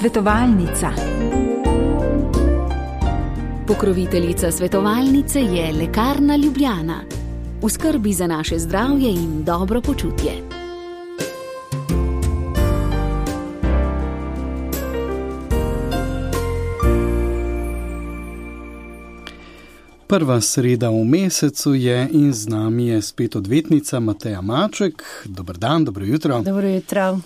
Svetovalnica. Pokroviteljica svetovalnice je Lekarna Ljubljana. V skrbi za naše zdravje in dobro počutje. Prva sreda v mesecu je in z nami je spet odvetnica Mateja Maček. Dober dan, dobro jutro. Dobro jutro.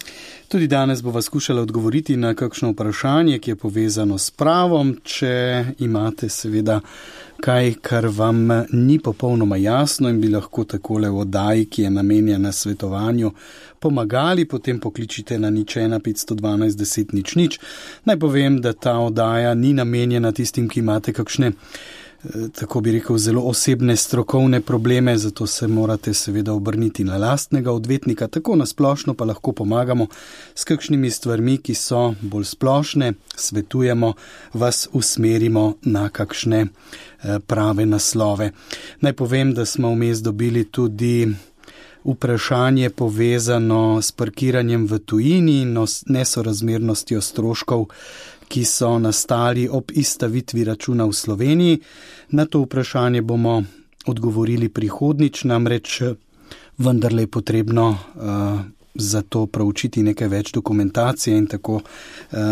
Tudi danes bova skušala odgovoriti na kakšno vprašanje, ki je povezano s pravom. Če imate seveda kaj, kar vam ni popolnoma jasno in bi lahko takole v oddaji, ki je namenjena svetovanju, pomagali, potem pokličite na 01 512 10 00. Naj povem, da ta oddaja ni namenjena tistim, ki imate kakšne, tako bi rekel, zelo osebne strokovne probleme, zato se morate seveda obrniti na lastnega odvetnika. Tako nasplošno pa lahko pomagamo s kakšnimi stvarmi, ki so bolj splošne, svetujemo, vas usmerimo na kakšne prave naslove. Naj povem, da smo vmes dobili tudi vprašanje povezano s parkiranjem v tujini in nesorazmernostjo stroškov, ki so nastali ob izstavitvi računa v Sloveniji. Na to vprašanje bomo odgovorili prihodnjič, namreč vendarle je potrebno za to proučiti nekaj več dokumentacije in tako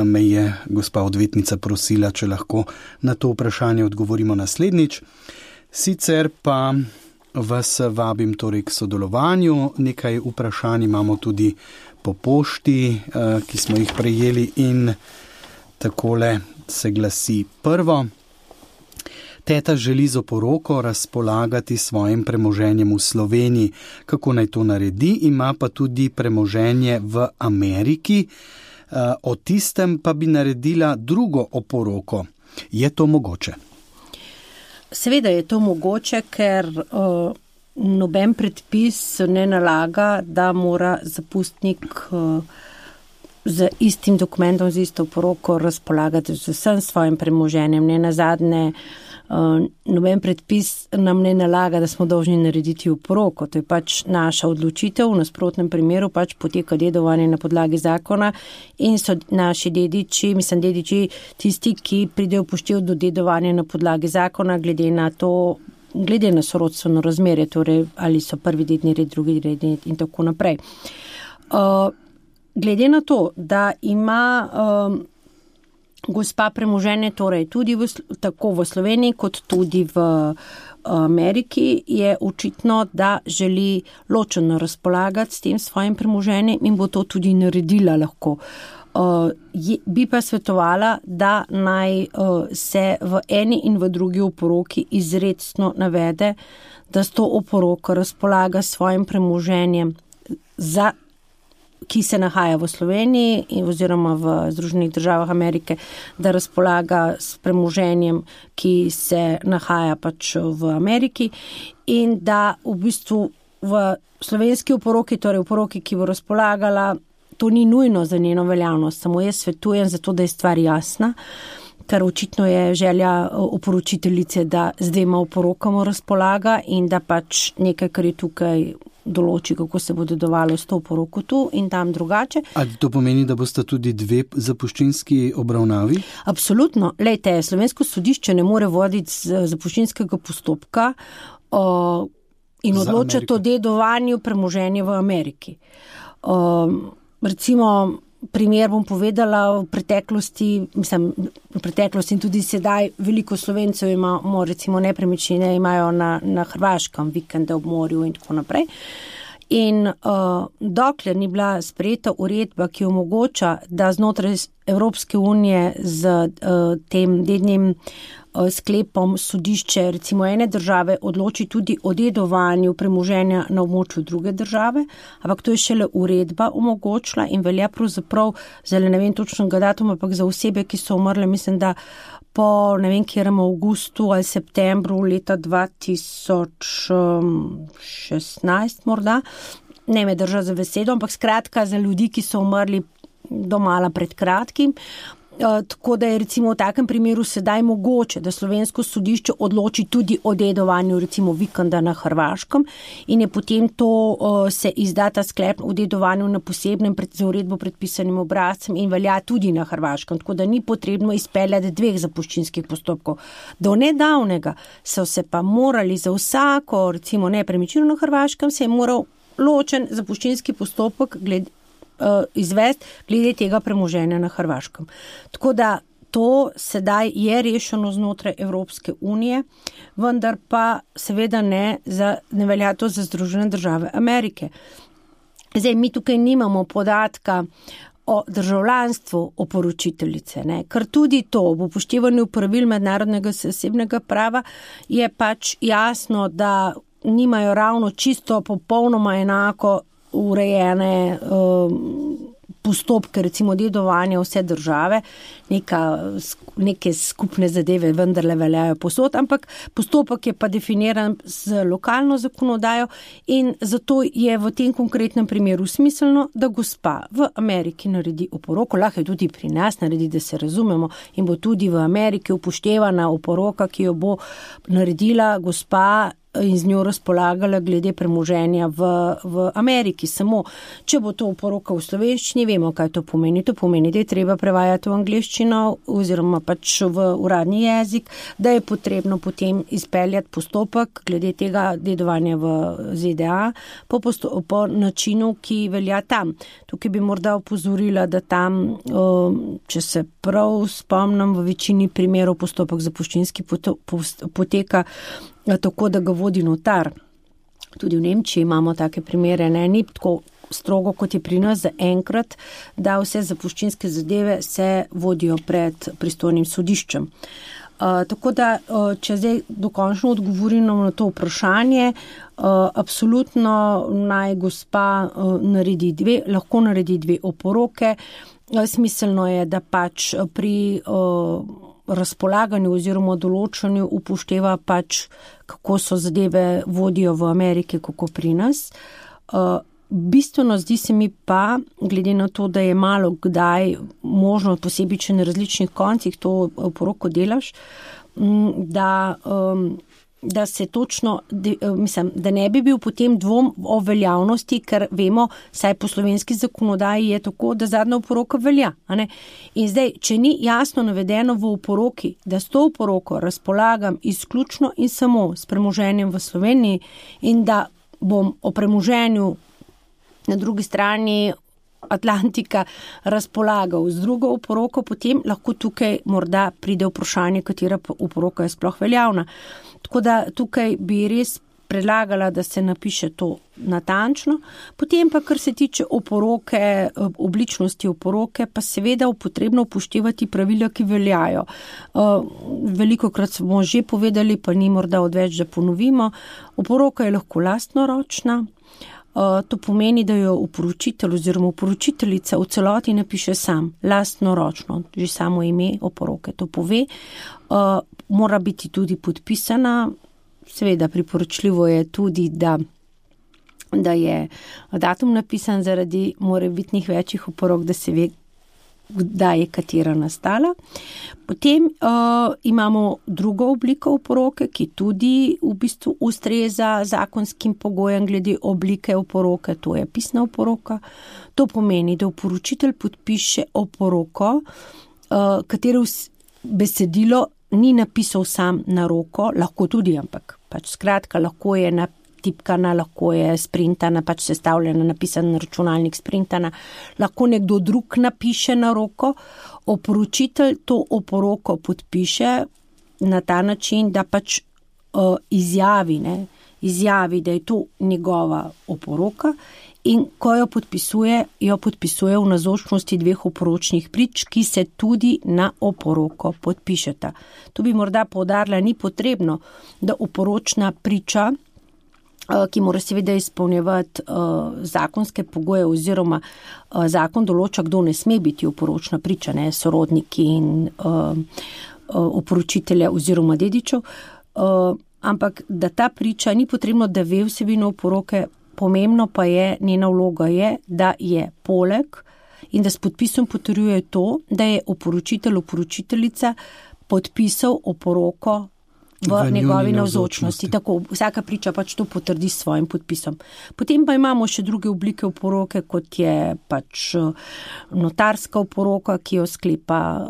me je gospa odvetnica prosila, če lahko na to vprašanje odgovorimo naslednjič. Sicer pa vas vabim torej k sodelovanju. Nekaj vprašanj imamo tudi po pošti, ki smo jih prejeli in takole se glasi prvo. Teta želi z oporoko razpolagati svojim premoženjem v Sloveniji. Kako naj to naredi? Ima pa tudi premoženje v Ameriki. O tistem pa bi naredila drugo oporoko. Je to mogoče? Seveda je to mogoče, ker noben predpis ne nalaga, da mora zapustnik z istim dokumentom, z isto oporoko razpolagati z vsem svojim premoženjem. Ne nazadnje, noben predpis nam ne nalaga, da smo dolžni narediti oporoko. To je pač naša odločitev, v nasprotnem primeru pač poteka dedovanje na podlagi zakona in so naši dediči, tisti, ki pridejo upoštev do dedovanja na podlagi zakona, glede na sorodstveno razmerje, torej ali so prvi dedni red, drugi redni red in tako naprej. Glede na to, da ima gospa premoženje torej tudi tako v Sloveniji kot tudi v Ameriki, je očitno, da želi ločeno razpolagati s tem svojim premoženjem in bo to tudi naredila lahko. Bi pa svetovala, da naj se v eni in v drugi oporoki izrecno navede, da s to oporoko razpolaga s svojim premoženjem, ki se nahaja v Sloveniji oziroma v Združenih državah Amerike, da razpolaga s premoženjem, ki se nahaja pač v Ameriki in da v bistvu v slovenski oporoki, torej oporoki, ki bo razpolagala, to ni nujno za njeno veljavnost, samo jaz svetujem zato, da je stvar jasna, ker očitno je želja oporočiteljice, da z dvema oporokama razpolaga in da pač nekaj, kar je tukaj določi, kako se bo dedovalo s to oporoko tu in tam drugače. Ali to pomeni, da boste tudi dve zapuščinski obravnavi? Absolutno. Lejte, slovensko sodišče ne more voditi zapuščinskega postopka in odločati o dedovanju premoženja v Ameriki. Recimo, primer bom povedala, v preteklosti in tudi sedaj veliko Slovencev imamo recimo nepremičnine, imajo na Hrvaškem vikende ob morju in tako naprej. In dokler ni bila sprejeta uredba, ki omogoča, da znotraj Evropske unije z tem dednim sklepom sodišče recimo ene države odloči tudi o dedovanju premoženja na območju druge države, ampak to je šele uredba omogočila in velja pravzaprav, zdaj ne vem točnega datuma, ampak za osebe, ki so umrle, mislim, da po ne vem kjerem avgustu ali septembru leta 2016 morda, ne me drža za besedo, ampak skratka za ljudi, ki so umrli domala pred kratkim, Tako da je recimo v takem primeru sedaj mogoče, da slovensko sodišče odloči tudi o dedovanju recimo vikenda na Hrvaškem in je potem to se izda ta sklep o dedovanju na posebnem za uredbo predpisanim obrazcem in velja tudi na Hrvaškem. Tako da ni potrebno izpeljati 2 zapuščinskih postopkov. Do nedavnega so se pa morali za vsako recimo nepremičnino na Hrvaškem se je moral ločen zapuščinski postopek izvesti glede tega premoženja na Hrvaškem. Tako da to sedaj je rešeno znotraj Evropske unije, vendar pa seveda ne velja to za Združene države Amerike. Zdaj, mi tukaj nimamo podatka o državljanstvu oporočiteljice, ne? Ker tudi to v upoštevanju pravil mednarodnega zasebnega prava je pač jasno, da nimajo ravno čisto popolnoma enako urejene postopke, recimo dedovanja vse države, neke skupne zadeve vendarle veljajo posod, ampak postopek je pa definiran z lokalno zakonodajo in zato je v tem konkretnem primeru smiselno, da gospa v Ameriki naredi oporoko, lahko je tudi pri nas naredi, da se razumemo, in bo tudi v Ameriki upoštevana oporoka, ki jo bo naredila gospa in z njo razpolagala glede premoženja v Ameriki. Samo, če bo to oporoka v slovenščini, vemo, kaj to pomeni. To pomeni, da je treba prevajati v angleščino oziroma pač v uradni jezik, da je potrebno potem izpeljati postopek glede tega dedovanja v ZDA po načinu, ki velja tam. Tukaj bi morda opozorila, da tam, če se prav spomnim, v večini primerov postopek zapuščinski poteka tako, da ga vodi notar. Tudi v Nemčiji imamo take primere, ne, ni tako strogo, kot je pri nas zaenkrat, da vse zapuščinske zadeve se vodijo pred pristojnim sodiščem. Tako da, če zdaj dokončno odgovorim na to vprašanje, absolutno naj gospa lahko naredi 2 oporoke. Smiselno je, da pač pri razpolaganju oziroma določanju upošteva pač, kako so zadeve vodijo v Ameriki, kako pri nas. Bistveno zdi se mi pa, glede na to, da je malo kdaj možno, posebej če na različnih koncih to oporoko delaš, da se točno, da ne bi bil potem dvom o veljavnosti, ker vemo, saj po slovenski zakonodaji je tako, da zadnja oporoka velja. A ne? In zdaj, če ni jasno navedeno v oporoki, da s to oporoko razpolagam izključno in samo s premoženjem v Sloveniji in da bom o premoženju na drugi strani Atlantika razpolagal z drugo oporoko, potem lahko tukaj morda pride vprašanje, katera oporoka je sploh veljavna. Tako da tukaj bi res predlagala, da se napiše to natančno. Potem pa, kar se tiče oporoke, obličnosti oporoke, pa seveda potrebno upoštevati pravila, ki veljajo. Velikokrat smo že povedali, pa ni morda odveč, da ponovimo. Oporoka je lahko lastnoročna. To pomeni, da jo oporočitelj oziroma oporočiteljica v celoti napiše sam, lastnoročno, že samo ime oporoke to pove. Mora biti tudi podpisana, seveda priporočljivo je tudi, da je datum napisan zaradi morebitnih večjih oporok, da se ve, kdaj je katera nastala. Potem imamo drugo obliko oporoke, ki tudi v bistvu ustreza zakonskim pogojem glede oblike oporoke, to je pisna oporoka. To pomeni, da oporočitelj podpiše oporoko, katero besedilo ni napisal sam na roko, lahko tudi, ampak pač skratka, lahko je natipkana, lahko je sprintana, pač sestavljena, napisana na računalnik, sprintana, lahko nekdo drug napiše na roko. Oporočitelj to oporoko podpiše na ta način, da pač izjavi, da je to njegova oporoka in ko jo podpisuje v navzočnosti 2 oporočnih prič, ki se tudi na oporoko podpišeta. Tu bi morda poudarila, ni potrebno, da oporočna priča, ki mora seveda izpolnjevati zakonske pogoje oziroma zakon določa, kdo ne sme biti oporočna priča, ne, sorodniki in oporočitelja oziroma dedičev, ampak da ta priča ni potrebno, da ve vsebino oporoke, pomembno pa je, njena vloga je, da je poleg in da s podpisom potrjuje to, da je oporočiteljica podpisal oporoko v njegovi navzočnosti. Tako, vsaka priča pač to potrdi s svojim podpisom. Potem pa imamo še druge oblike oporoke, kot je pač notarska oporoka, ki jo sklepa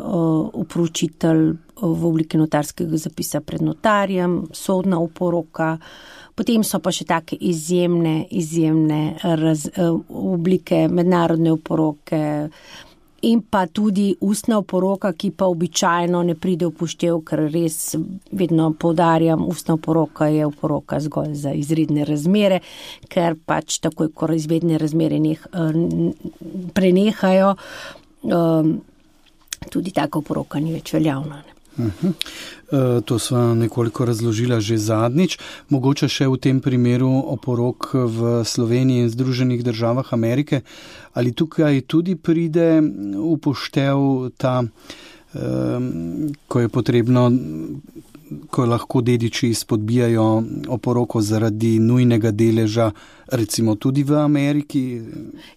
oporočitelj v obliki notarskega zapisa pred notarjem, sodna oporoka. Potem so pa še take izjemne oblike mednarodne oporoke, in pa tudi ustna oporoka, ki pa običajno ne pride v poštev, ker res vedno poudarjam, ustna oporoka je oporoka zgolj za izredne razmere, ker pač takoj, ko izredne razmere prenehajo, tudi taka oporoka ni več veljavna. To sva nekoliko razložila že zadnjič. Mogoče še v tem primeru oporok v Sloveniji in Združenih državah Amerike. Ali tukaj tudi pride v poštev ta, ko je potrebno, ko lahko dediči izpodbijajo oporoko zaradi nujnega deleža, recimo tudi v Ameriki?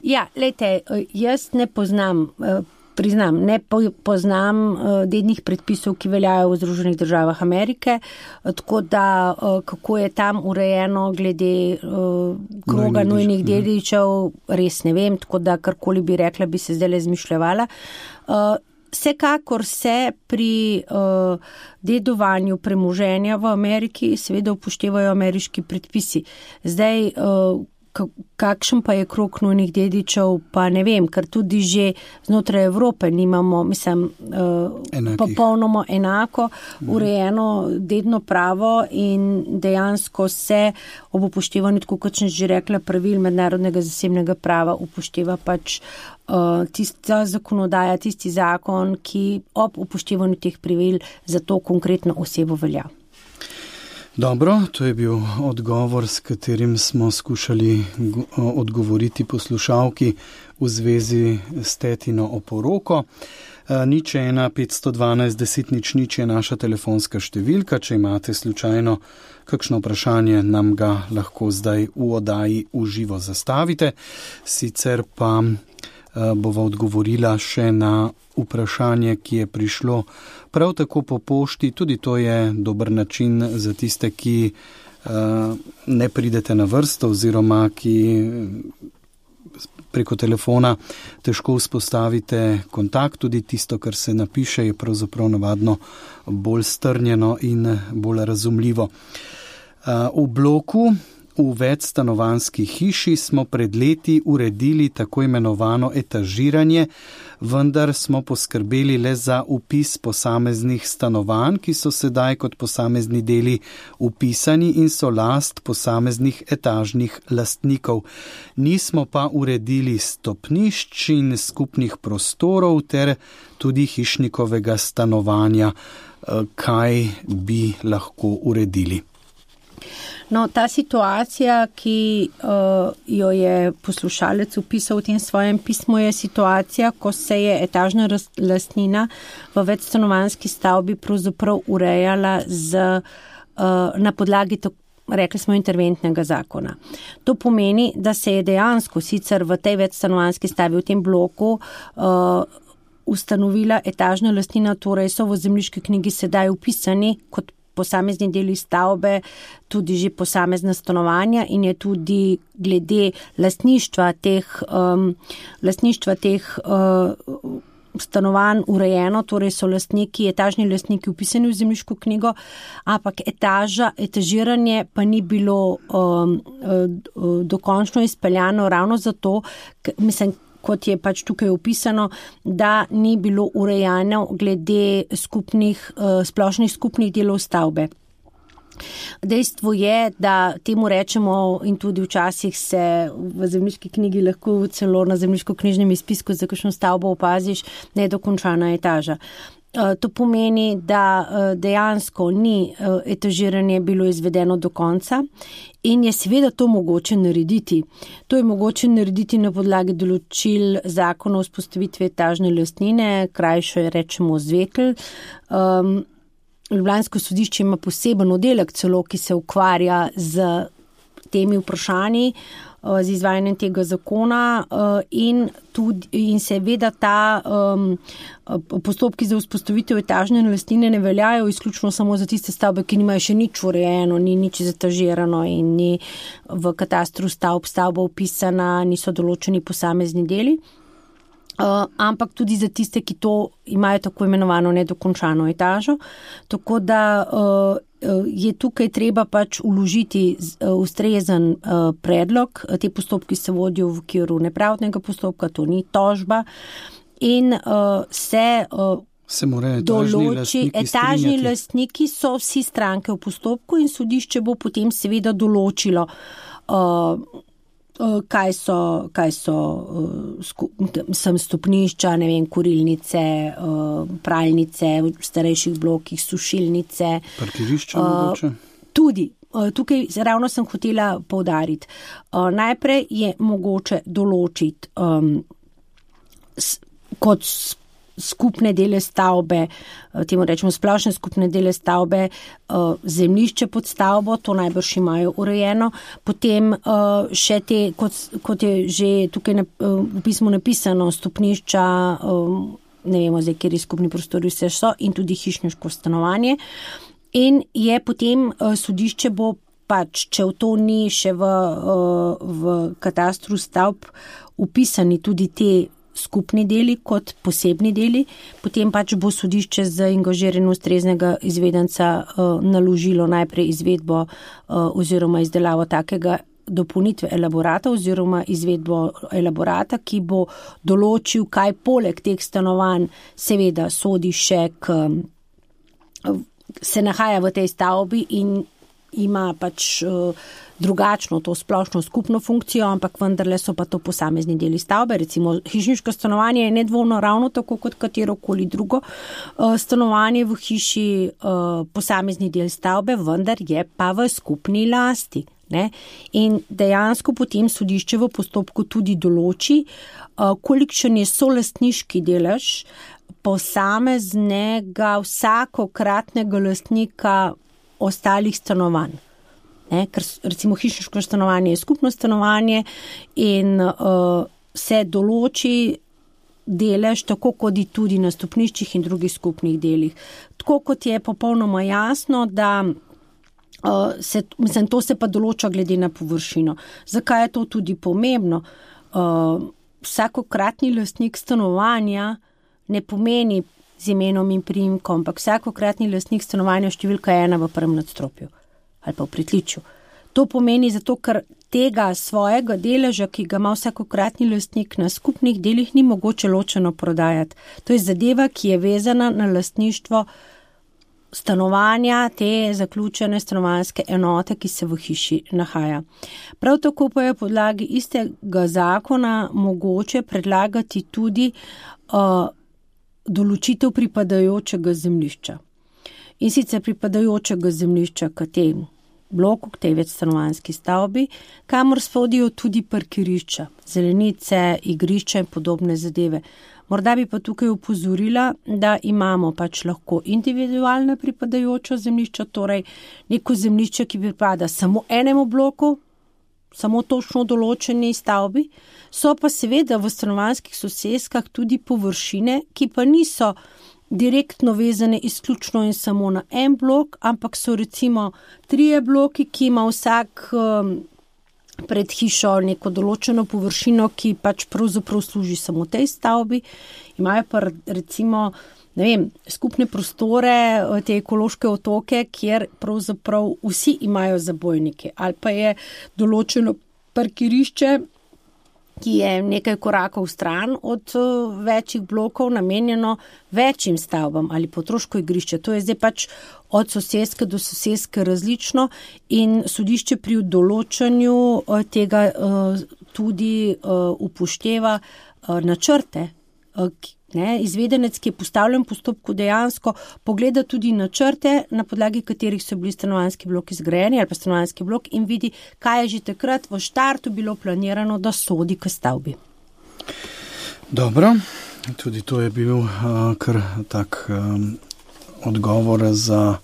Ja, lejte, jaz ne poznam dednih predpisov, ki veljajo v Združenih državah Amerike, tako da kako je tam urejeno glede kroga nujnih dedičev, res ne vem, tako da karkoli bi rekla, bi se zdaj izmišljevala. Vsekakor se pri dedovanju premoženja v Ameriki seveda upoštevajo ameriški predpisi. Zdaj, kakšen pa je krog nujnih dedičev, pa ne vem, ker tudi že znotraj Evrope nimamo, popolnoma enako urejeno dedno pravo in dejansko se ob upoštevanju, tako kot sem že rekla, pravil mednarodnega zasebnega prava upošteva pač tista zakonodaja, tisti zakon, ki ob upoštevanju teh pravil za to konkretno osebo velja. Dobro, to je bil odgovor, s katerim smo skušali odgovoriti poslušalki v zvezi s tetino oporoko. 01 512 10 00 je naša telefonska številka. Če imate slučajno kakšno vprašanje, nam ga lahko zdaj v oddaji v živo zastavite. Sicer pa bova odgovorila še na vprašanje, ki je prišlo prav tako po pošti. Tudi to je dober način za tiste, ki ne pridete na vrsto oziroma ki preko telefona težko vzpostavite kontakt. Tudi tisto, kar se napiše, je pravzaprav navadno bolj strnjeno in bolj razumljivo. V bloku v večstanovanjski hiši smo pred leti uredili tako imenovano etažiranje, vendar smo poskrbeli le za vpis posameznih stanovanj, ki so sedaj kot posamezni deli vpisani in so last posameznih etažnih lastnikov. Nismo pa uredili stopnišč in skupnih prostorov ter tudi hišnikovega stanovanja. Kaj bi lahko uredili? No, ta situacija, ki jo je poslušalec upisal v tem svojem pismu, je situacija, ko se je etažna lastnina v večstanovanjski stavbi pravzaprav urejala na podlagi, rekli smo, interventnega zakona. To pomeni, da se je dejansko sicer v tej večstanovanjski stavbi, v tem bloku, ustanovila etažna lastnina, torej so v zemljiški knjigi sedaj vpisani kot posamezni deli stavbe, tudi že posamezna stanovanja in je tudi glede lastništva teh stanovanj urejeno, torej so etažni lastniki vpisani v zemljiško knjigo, ampak etažiranje pa ni bilo dokončno izpeljano ravno zato, kot je pač tukaj opisano, da ni bilo urejeno glede splošnih skupnih delov stavbe. Dejstvo je, da temu rečemo in tudi včasih se v zemljiški knjigi lahko celo na zemljiško-knjižnem izpisku za kakšno stavbo opaziš nedokončana etaža. To pomeni, da dejansko ni etažiranje bilo izvedeno do konca in je seveda to mogoče narediti. To je mogoče narediti na podlagi določil zakona o vzpostavitvi etažne lastnine, krajšo je rečemo ZVEKL. Ljubljansko sodišče ima poseben oddelek celo, ki se ukvarja z temi vprašanji z izvajanjem tega zakona in seveda ta postopki za vzpostavitev etažne lastnine ne veljajo izključno samo za tiste stavbe, ki nimajo še nič urejeno, ni nič zatažirano in ni v katastru stavba upisana, niso določeni posamezni deli. Ampak tudi za tiste, ki to imajo tako imenovano nedokončano etažo. Tako da je tukaj treba pač vložiti ustrezen predlog. Te postopki se vodijo v okviru nepravdnega postopka, to ni tožba. In se določi, etažni lastniki so vsi stranke v postopku in sodišče bo potem seveda določilo, kaj so stopnišča, ne vem, kurilnice, pralnice v starejših blokih, sušilnice. Parkirišča mogoče? Tudi. Tukaj ravno sem hotela poudariti. Najprej je mogoče določiti kot skupne dele stavbe, temu rečemo splošne skupne dele stavbe, zemljišče pod stavbo, to najbrž imajo urejeno, potem še te, kot je že tukaj v pismu napisano, stopnišča, ne vemo zdaj, kjer skupni prostori vse so, in tudi hišniško stanovanje. In je potem sodišče bo pač, če v to ni še v katastru stavb upisani tudi te skupni deli kot posebni deli, potem pač bo sodišče z angažiranjem ustreznega izvedenca naložilo najprej izvedbo oziroma izdelavo takega dopolnitve elaborata oziroma izvedbo elaborata, ki bo določil, kaj poleg teh stanovanj seveda sodi še se nahaja v tej stavbi in ima pač drugačno to splošno skupno funkcijo, ampak vendarle so pa to posamezni deli stavbe. Recimo hišniško stanovanje je nedvomno ravno tako kot katerokoli drugo stanovanje v hiši posamezni del stavbe, vendar je pa v skupni lasti. Ne? In dejansko potem sodišče v postopku tudi določi, kolikšen je solastniški delež posameznega vsakokratnega lastnika ostalih stanovanj. Ne, ker recimo hišniško stanovanje je skupno stanovanje in se določi delež tako kot tudi na stopniščih in drugih skupnih delih. Tako kot je popolnoma jasno, da to se pa določa glede na površino. Zakaj je to tudi pomembno? Vsakokratni lastnik stanovanja ne pomeni z imenom in priimkom, ampak vsakokratni lastnik stanovanja številka 1 v prvem nadstropju ali pa v pritličju. To pomeni zato, ker tega svojega deleža, ki ga ima vsakokratni lastnik na skupnih delih, ni mogoče ločeno prodajati. To je zadeva, ki je vezana na lastništvo stanovanja, te zaključene stanovanjske enote, ki se v hiši nahaja. Prav tako pa je podlagi istega zakona mogoče predlagati tudi določitev pripadajočega zemljišča. In sicer pripadajočega zemljišča k tem bloku, k tej večstanovanjski stavbi, kamor spodijo tudi parkirišča, zelenice, igrišča in podobne zadeve. Morda bi pa tukaj opozorila, da imamo pač lahko individualna pripadajoča zemljišča, torej neko zemljišče, ki pripada samo enemu bloku, samo točno določeni stavbi, so pa seveda v stanovanjskih soseskah tudi površine, ki pa niso direktno vezane izključno in samo na en blok, ampak so recimo 3 bloki, ki ima vsak pred hišo neko določeno površino, ki pač pravzaprav služi samo tej stavbi. Imajo pa recimo, ne vem, skupne prostore, te ekološke otoke, kjer pravzaprav vsi imajo zabojnike. Ali pa je določeno parkirišče, ki je nekaj korakov stran od večjih blokov namenjeno večjim stavbam ali potroško igrišče. To je zdaj pač od soseske do soseske različno in sodišče pri določanju tega tudi upošteva načrte. Izvedenec, ki je postavljen v postopku, dejansko pogleda tudi načrte, na podlagi katerih so bili stanovanjski bloki zgrajeni ali pa stanovanjski blok in vidi, kaj je že takrat v štartu bilo planirano, da sodi k stavbi. Dobro, tudi to je bil kar tak odgovor za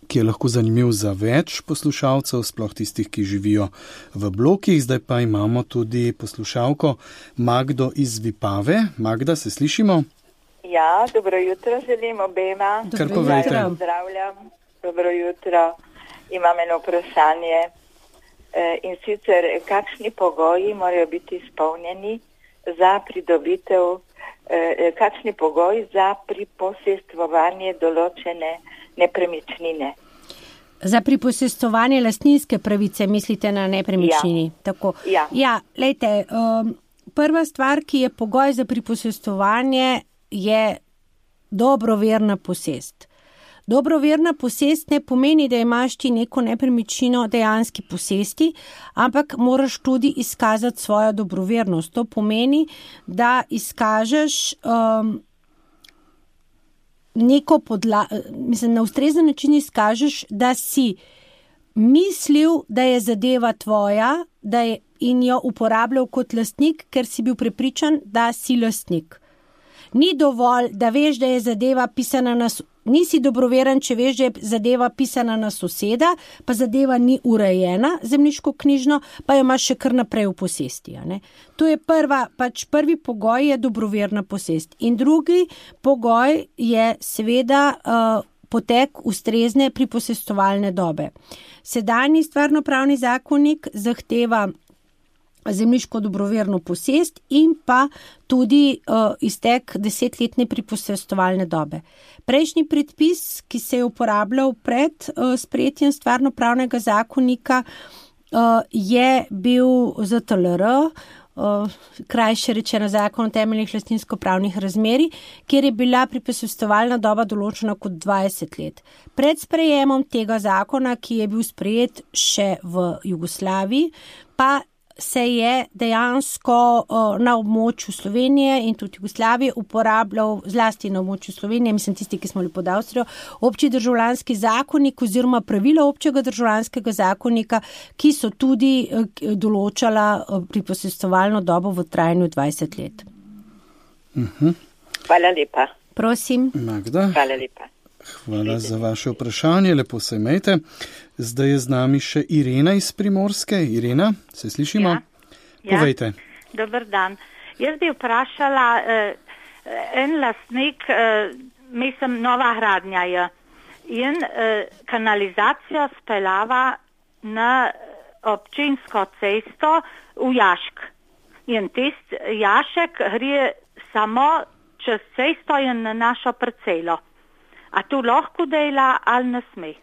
ki je lahko zanimiv za več poslušalcev, sploh tistih, ki živijo v blokih. Zdaj pa imamo tudi poslušalko Magdo iz Vipave. Magda, se slišimo? Ja, dobro jutro želim obema. Kar povejte. Pozdravljam, dobro jutro. Imam eno vprašanje in sicer, kakšni pogoji morajo biti izpolnjeni za pridobitev, kakšni pogoji za priposestvovanje določene nepremičnine? Za priposestvovanje lastninske pravice mislite na nepremičnini? Ja. Tako. Ja. Ja, lejte, prva stvar, ki je pogoj za priposestvovanje, je dobroverna posest. Dobroverna posest ne pomeni, da imaš ti neko nepremičnino dejanski posesti, ampak moraš tudi izkazati svojo dobrovernost. To pomeni, da izkažeš na ustrezen način izkažeš, da si mislil, da je zadeva tvoja, in jo uporabljal kot lastnik, ker si bil prepričan, da si lastnik. Ni dovolj, da veš, da je zadeva pisana nisi dobroveren, če veš, da je zadeva pisana na soseda, pa zadeva ni urejena zemljiškoknjižno, pa jo imaš še kar naprej v posesti. To je prvi pogoj je dobroverna posest. In drugi pogoj je seveda potek ustrezne priposestovalne dobe. Sedanji stvarnopravni zakonik zahteva zemljiško dobroverno posest in pa tudi iztek 10-letne priposestovalne dobe. Prejšnji predpis, ki se je uporabljal pred sprejetjem stvarnopravnega zakonika, je bil ZTLR, krajše rečeno Zakon o temeljnih lastninsko-pravnih razmerij, kjer je bila priposestovalna doba določena kot 20 let. Pred sprejemom tega zakona, ki je bil sprejet še v Jugoslaviji, pa se je dejansko na območju Slovenije in tudi Jugoslavije uporabljal, zlasti na območju Slovenije, mislim tisti, ki smo bili pod Avstrijo, obči državljanski zakonik oziroma pravila občega državljanskega zakonika, ki so tudi določala priposestovalno dobo v trajanju 20 let. Hvala lepa. Prosim. Magda. Hvala lepa. Hvala za vaše vprašanje, lepo se imejte. Zdaj je z nami še Irena iz Primorske. Irena, se slišimo? Ja. Povejte. Dober dan. Jaz bi vprašala, en lastnik, mislim, nova gradnja je, in kanalizacijo speljava na občinsko cesto v Jašk. In tist Jašek gre samo čez cesto in na našo parcelo. A tu lahko dela ali ne sme?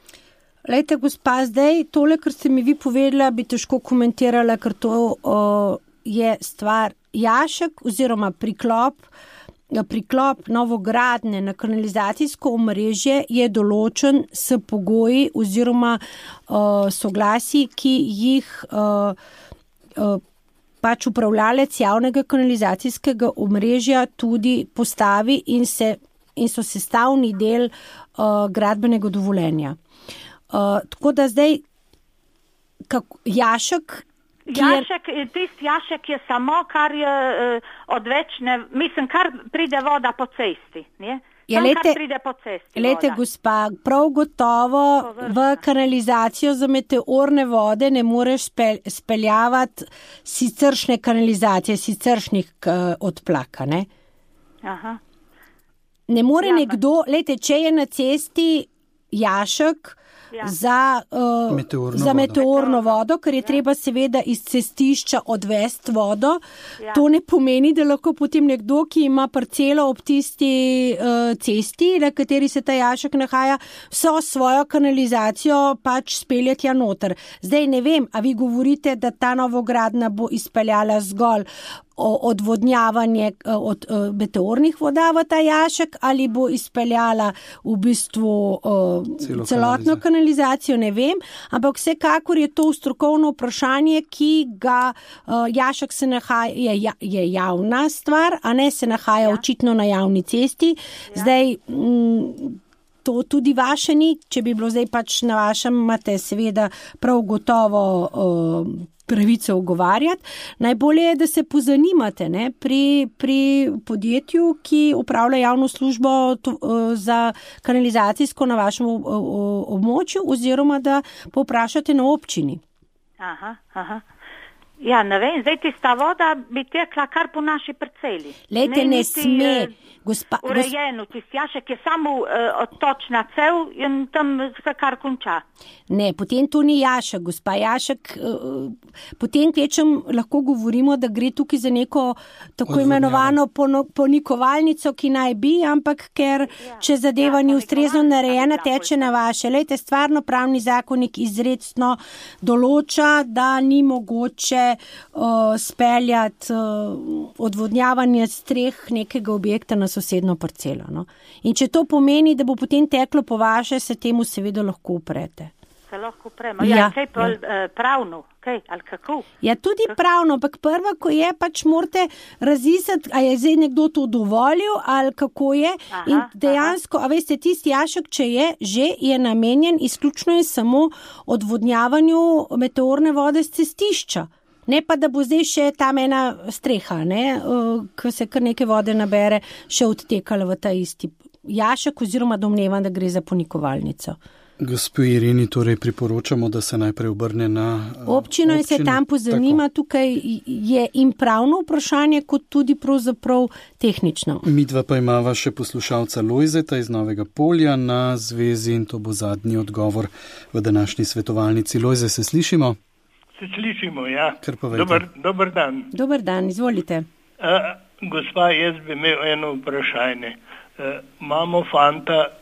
Lejte, gospa, zdaj tole, kar ste mi vi povedala, bi težko komentirala, ker to je stvar Jašek oziroma priklop novogradnje na kanalizacijsko omrežje je določen s pogoji oziroma soglasji, ki jih pač upravljalec javnega kanalizacijskega omrežja tudi postavi in so sestavni del gradbenega dovoljenja. Tako da zdaj Jašek, tisti Jašek je samo, kar je odvečne, mislim, kar pride voda po cesti, ne? Ja, lejte, gospa, prav gotovo v kanalizacijo za meteorne vode ne moreš speljavati siceršne kanalizacije, siceršnih odplaka, ne? Aha. Ne more nekdo, lejte, če je na cesti Jašek za meteorno vodo, ker je treba seveda iz cestišča odvesti vodo, to ne pomeni, da lahko potem nekdo, ki ima parcelo ob tisti cesti, na kateri se ta Jašek nahaja, vso svojo kanalizacijo pač speljati noter. Zdaj ne vem, a vi govorite, da ta novogradnja bo izpeljala zgolj odvodnjavanje od meteornih voda v ta Jašek ali bo izpeljala v bistvu celotno kanalizacijo, ne vem, ampak vsekakor je to strokovno vprašanje, ki ga Jašek se nahaja, je javna stvar, a ne se nahaja očitno na javni cesti. Zdaj to tudi vaše ni, če bi bilo zdaj pač na vašem, imate seveda prav gotovo pravico ugovarjati. Najbolje je, da se pozanimate, ne, pri podjetju, ki upravlja javno službo za kanalizacijsko na vašem območju, oziroma da povprašate na občini. Aha. Ja, ne vem, zdaj tista voda bi tekla kar po naši parceli. Lejte, ne sme, gospa. Urejeno, tisti jašek je samo odtočna cev in tam se kar konča. Ne, potem to ni jašek, gospa. Jašek, potem kvečem lahko govorimo, da gre tukaj za neko tako imenovano ponikovalnico, ki naj bi, ampak ker če zadeva ni ustrezno narejena, teče na vaše. Lejte, stvarno pravni zakonik izrecno določa, da ni mogoče speljati odvodnjavanje streh nekega objekta na sosedno parcelo. No? In če to pomeni, da bo potem teklo po vaše, se temu seveda lahko uprete. Se lahko upremo. Ja, kaj pa pravno? Kaj, ali kako? Ja, tudi pravno, ampak prva, ko je, pač morate razisati, a je zdaj nekdo to dovolil, ali kako je. In dejansko, a veste, tisti jašek, če je, že je namenjen, izključno je samo odvodnjavanju meteorne vode z cestišča. Ne pa, da bo zdaj še tam ena streha, ko se kar neke vode nabere, še odtekala v ta isti jašek, oziroma domnevam, da gre za ponikovalnico. Gospo Irini, torej priporočamo, da se najprej obrne na občino in se tam pozanima. Tako. Tukaj je in pravno vprašanje, kot tudi pravzaprav tehnično. Midva pa imava še poslušalca Lojzeta iz Novega Polja na zvezi in to bo zadnji odgovor v današnji svetovalnici. Lojze, se slišimo? Se slišimo, ja. Dober dan. Dober dan, izvolite. Gospa, jaz bi imel eno vprašanje. Imamo fanta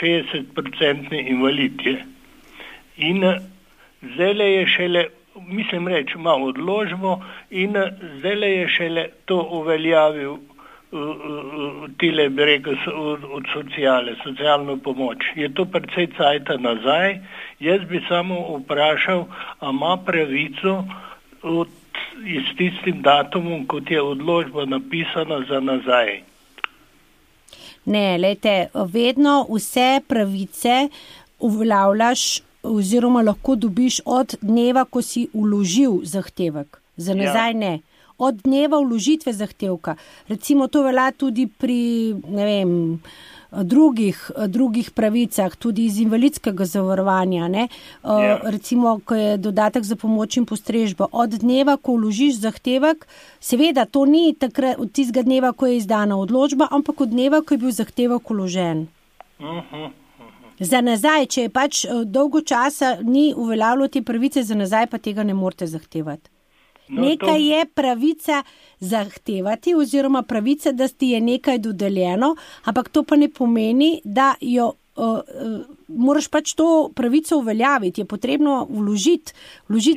60% invalid je. In zdaj je šele, mislim reči, ima odložbo in zdaj je šele to uveljavil tile, bi rekel, od socialno pomoč. Je to precej cajta nazaj. Jaz bi samo vprašal, a ima pravico s tistim datumom, kot je odložba napisana za nazaj. Ne, lejte, vedno vse pravice uveljavljaš oziroma lahko dobiš od dneva, ko si vložil zahtevek. Za nazaj ne. Od dneva vložitve zahtevka. Recimo to velja tudi pri, ne vem, drugih pravicah, tudi iz invalidskega zavarovanja, ne? Recimo, ko je dodatek za pomoč in postrežbo. Od dneva, ko vložiš zahtevek, seveda to ni takrat od tistega dneva, ko je izdana odločba, ampak od dneva, ko je bil zahtevek vložen. Za nazaj, če je pač dolgo časa ni uveljavljalo te pravice, za nazaj pa tega ne morete zahtevati. Nekaj je pravica zahtevati oziroma pravica, da ti je nekaj dodeljeno, ampak to pa ne pomeni, da jo moraš pač to pravico uveljaviti. Je potrebno vložiti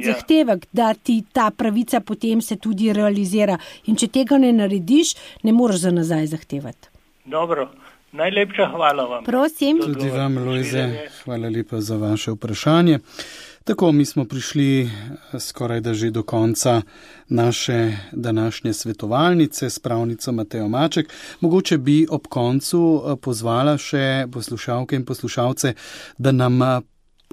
zahtevek, da ti ta pravica potem se tudi realizira. In če tega ne narediš, ne moreš za nazaj zahtevati. Dobro. Najlepša hvala vam. Prosim. Tudi vam, Lojze, hvala lepa za vaše vprašanje. Tako, mi smo prišli skoraj da že do konca naše današnje svetovalnice s pravnico Matejo Maček. Mogoče bi ob koncu pozvala še poslušalke in poslušalce, da nam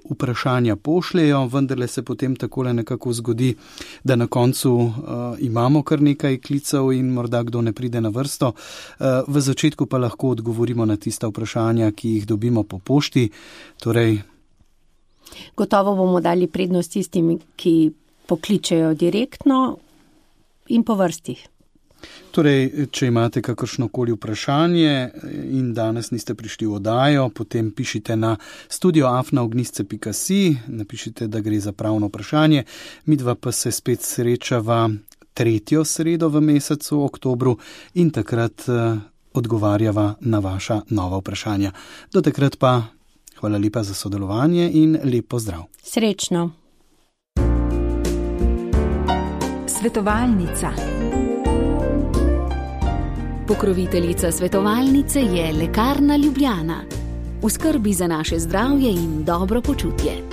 vprašanja pošljejo, vendarle se potem takole nekako zgodi, da na koncu imamo kar nekaj klicev in morda kdo ne pride na vrsto. V začetku pa lahko odgovorimo na tista vprašanja, ki jih dobimo po pošti. Torej, gotovo bomo dali prednost tistim, ki pokličejo direktno in po vrsti. Torej, če imate kakršnokoli vprašanje in danes niste prišli v oddajo, potem pišite na studio@ognisce.si, napišite, da gre za pravno vprašanje. Midva pa se spet srečava 3. sredo v mesecu oktobru in takrat odgovarjava na vaša nova vprašanja. Do takrat pa hvala lepa za sodelovanje in lep pozdrav. Srečno. Svetovalnica. Pokroviteljica svetovalnice je Lekarna Ljubljana. V skrbi za naše zdravje in dobro počutje.